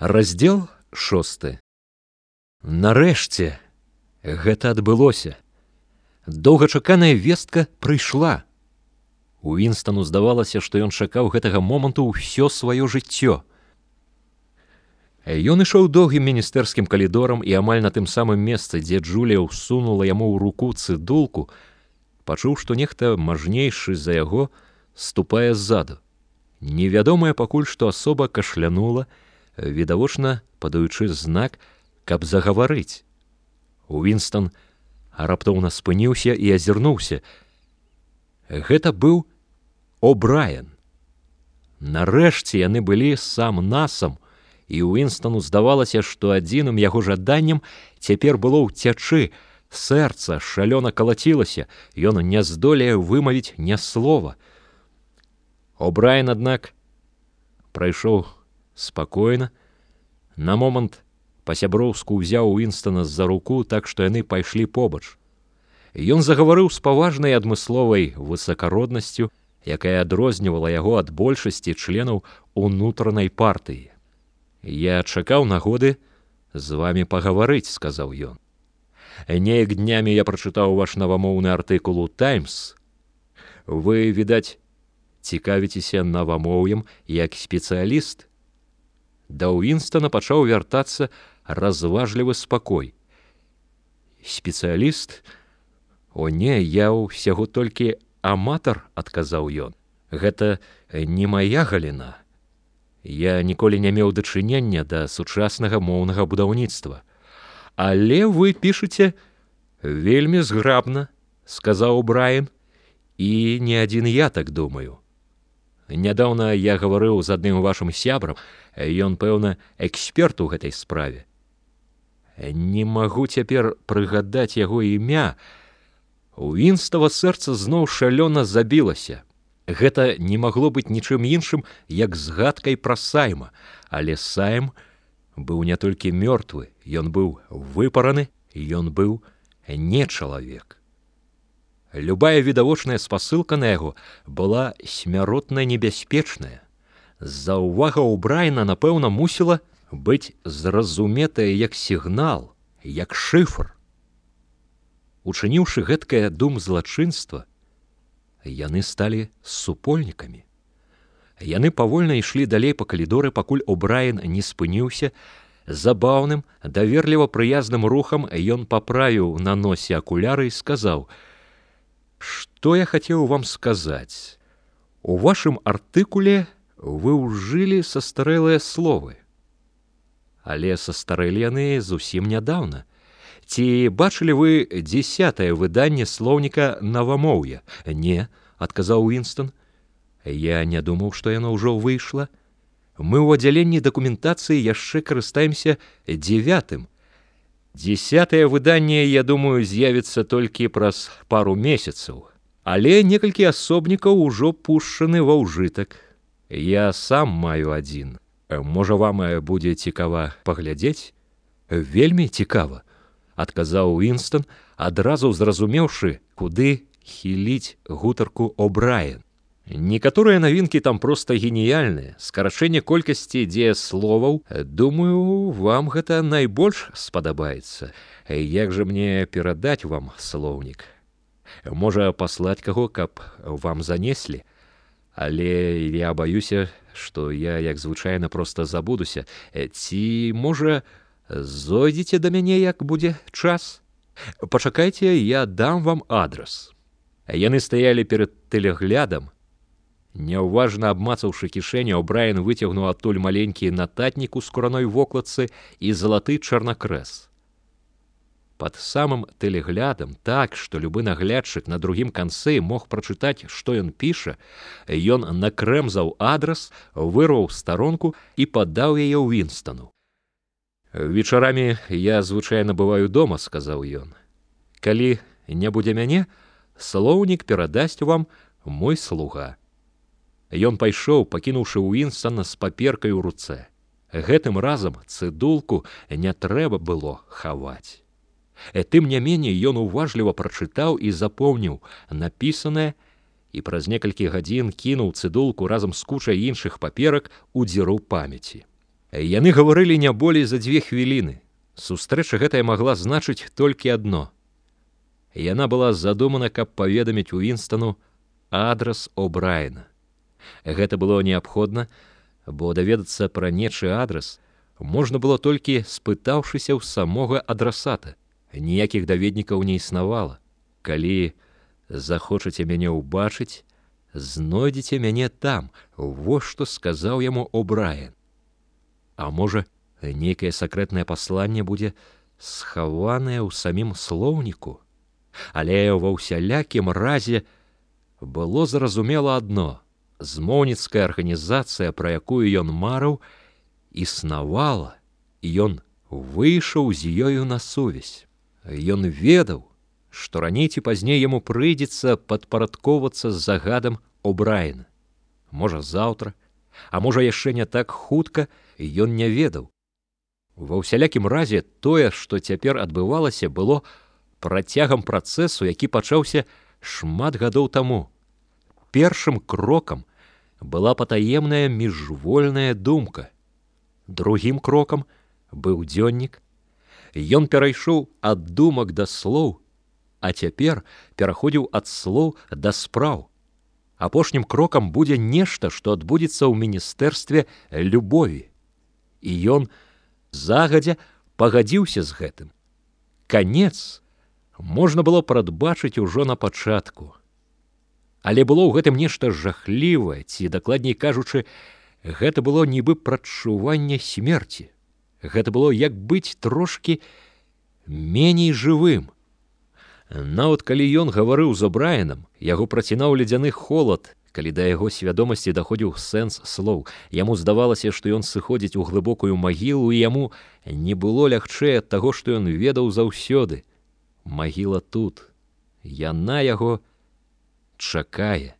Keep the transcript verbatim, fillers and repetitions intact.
Раздзел шосты. Нарэшце гэта адбылося. Доўгачаканая вестка прыйшла. Уінстану здавалася, што ён чакаў гэтага моманту ўсё сваё жыццё. Ён ішоў доўгім міністэрскім калідорам і амаль на тым самым месцы, дзе Джулія ўсунула яму ў руку цыдулку, пачуў, што нехта мажнейшы за яго ступае ззаду. Невядомая пакуль што асоба кашлянула, відавочна падаючы знак, каб загаварыць. Уінстан раптоўна спыніўся і азірнуўся. Гэта быў О'Брайен. Нарэшце яны былі сам-насам, і Уінстану здавалася, што адзіным яго жаданнем цяпер было ўцячы. Сэрца шалёна калацілася, ён не здолее вымавіць ні слова. О'Брайен, аднак, прайшоў спакойна, на момант па-сяброўску ўзяў Уінстана з-за руку, так што яны пайшлі побач. Ён загаварыў з паважнай адмысловай высакароднасцю, якая адрознівала яго ад большасці членаў унутранай партыі. «Я чакаў нагоды з вамі пагаварыць», — сказаў ён. «Неяк днямі я прачытаў ваш навамоўны артыкул у «Таймс». Вы, відаць, цікавіцеся навамоўем як спецыяліст». Да Уінстана пачаў вяртацца разважлівы спакой. «Спецыяліст? О не, я ўсяго толькі аматар», — адказаў ён. «Гэта не мая галіна. Я ніколі не меў дачынення да сучаснага моўнага будаўніцтва. Але вы пішаце вельмі зграбна», — сказаў Брайан, «і не адзін я так думаю. Нядаўна я гаварыў з адным вашым сябрам, ён, пэўна, эксперт у гэтай справе. Не магу цяпер прыгадаць яго імя». Уінстава сэрца зноў шалёна забілася. Гэта не магло быць нічым іншым, як згадкай пра Сайма, але Сайм быў не толькі мёртвы, ён быў выпараны, ён быў не чалавек. Любая відавочная спасылка на яго была смяротна небяспечная. Заўвага О'Брайена, напэўна, мусіла быць зразуметая як сігнал, як шыфр. Учыніўшы гэткае дум злачынства, яны сталі супольнікамі. Яны павольна ішлі далей па калідоры, пакуль О'Брайен не спыніўся. Забаўным, даверліва прыязным рухам ён паправіў на носе акуляры і сказаў: «Што я хацеў вам сказаць? У вашым артыкуле вы ўжылі састарэлыя словы. Але састарэлі яны зусім нядаўна. Ці бачылі вы дзесятае выданне слоўніка навамоўя?» «Не», — адказаў Уінстан. «Я не думаў, што яно ўжо выйшла. Мы ў аддзяленні дакументацыі яшчэ карыстаемся дзевятым. Дзесятае выданне, я думаю, з'явіцца толькі праз пару месяцаў. Але некалькі асобнікаў ужо пушчаны ва ўжытак. Я сам маю адзін. Можа, вам будзе цікава паглядзець?» «Вельмі цікава», — адказаў Уінстан, адразу зразумеўшы, куды хіліць гутарку О'Брайен. «Некаторыя навінкі там проста геніяльныя. Скарачэнне колькасці дзеясловаў, думаю, вам гэта найбольш спадабаецца. Як жа мне перадаць вам слоўнік? Можа, паслаць каго, каб вам занеслі? Але я баюся, што я, як звычайна, проста забудуся. Ці, можа, зойдзеце да мяне, як будзе час? Пачакайце, я дам вам адрас». Яны стаялі перад тэлеглядам. Няўважна абмацаўшы кішэню, О'Брайен выцягнуў адтуль маленькі нататнік у скураной вокладцы і залаты чарнакрэс. Пад самым тэлеглядам, так, што любы наглядчык на другім канцы мог прачытаць, што ён піша, ён накрэмзаў адрас, вырваў старонку і падаў яе Уінстану. «Вечарамі я звычайна бываю дома», — сказаў ён. «Калі не будзе мяне, слоўнік перадасць вам мой слуга». Ён пайшоў, пакінуўшы Уінстана з паперкай у руцэ. Гэтым разам цыдулку не трэба было хаваць. Тым не меней ён уважліва прачытаў і запомніў напісанае і праз некалькі гадзін кінуў цыдулку разам з кучай іншых паперак у дзіру памяці. Яны гаварылі не болей за дзве хвіліны. Сустрэча гэтая магла значыць толькі адно. Яна была задумана, каб паведаміць Уінстану адрас О'Брайена. Гэта было неабходна, бо даведацца пра нечы адрас можна было толькі спытаўшыся ў самога адрасата. Ніякіх даведнікаў не існавала. Калі захочаце мяне ўбачыць, знойдзеце мяне там. Вось што сказаў яму О'Брайен. А можа, нейкае сакрэтнае пасланне будзе схаванае ў самім слоўніку? Але ва ўсялякім разе было зразумела адно: змоўніцкая арганізацыя, пра якую ён марыў, існавала, і ён выйшаў з ёю на сувязь. Ён ведаў, што раней ці пазней яму прыйдзецца падпарадкоўвацца з загадам О'Брайена. Можа, заўтра, а можа, яшчэ не так хутка, ён не ведаў. Ва ўсялякім разе тое, што цяпер адбывалася, было працягам працэсу, які пачаўся шмат гадоў таму. Першым крокам была патаемная міжвольная думка. Другім крокам быў дзённік. Ён перайшоў ад думак да слоў, а цяпер пераходзіў ад слоў да спраў. Апошнім крокам будзе нешта, што адбудзецца ў міністэрстве любові. І ён загадзя пагадзіўся з гэтым. Канец можна было прадбачыць ужо на пачатку. Але было ў гэтым нешта жахлівае, ці, дакладней кажучы, гэта было нібы прадчуванне смерці. Гэта было як быць трошкі меней жывым. Нават калі ён гаварыў з О'Брайенам, яго працінаў ледзяны холад, калі да яго свядомасці даходзіў сэнс слоў. Яму здавалася, што ён сыходзіць у глыбокую магілу, і яму не было лягчэй ад таго, што ён ведаў заўсёды. Магіла тут. Яна яго чакае.